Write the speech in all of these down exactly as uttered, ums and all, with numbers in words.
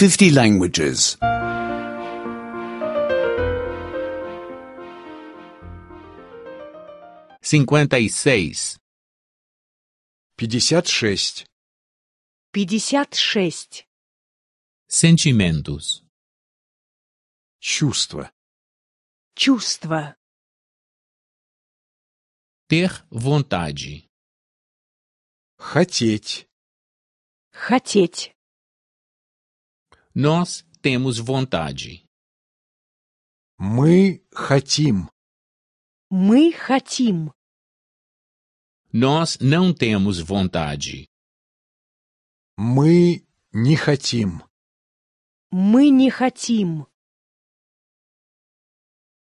fifty languages. cinquenta e seis. пятьдесят шесть. пятьдесят шесть. Sentimentos. Чувство. Чувство. Ter vontade. Хотеть. Хотеть. Nós temos vontade. Мы хотим. Мы хотим. Nós não temos vontade. Мы не хотим. Мы не хотим.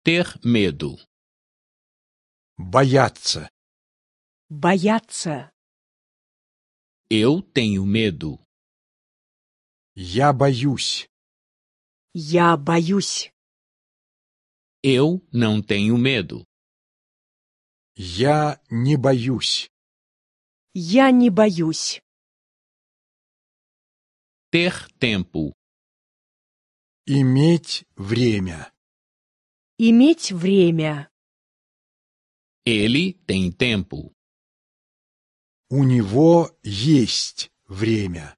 Ter medo. Бояться. Бояться. Eu tenho medo. Я боюсь. Я боюсь. Eu não tenho medo. Я не боюсь. Я не боюсь. Ter tempo. Иметь время. Иметь время. Ele tem tempo. У него есть время.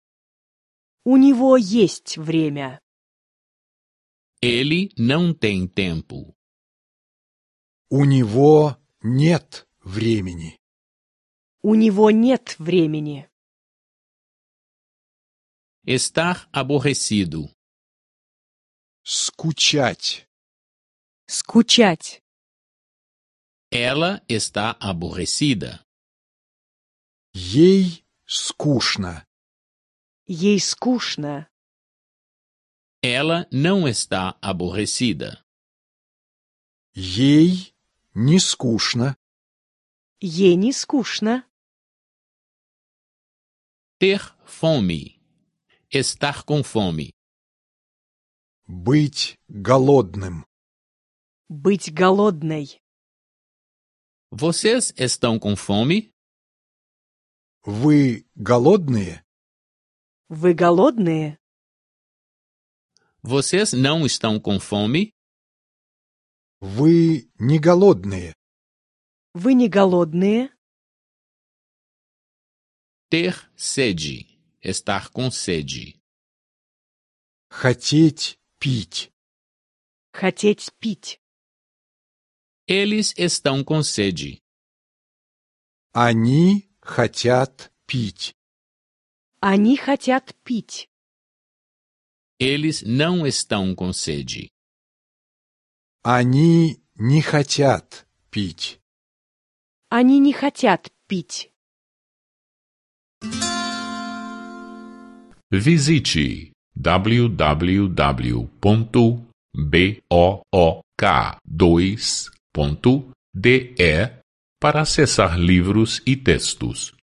У него есть время. Ele não tem tempo. У него нет времени. У него нет времени. Estar aborrecido. Скучать. Скучать. Ela está aborrecida. Ей скучно. Ей скучно. Ela não está aborrecida. Ей не скучно. Ей не скучно. Ter fome. Estar com fome. Быть голодным. Быть голодной. Vocês estão com fome? Вы голодные? Вы голодные? Vocês não estão com fome? Вы не голодные? Вы не голодные? Ter sede. Estar com sede. Хотеть пить. Хотеть пить. Eles estão com sede. Они хотят пить. Они хотят пить. Eles não estão com sede. Они не хотят пить. Они не хотят пить. Visite w w w ponto book dois ponto de para acessar livros e textos.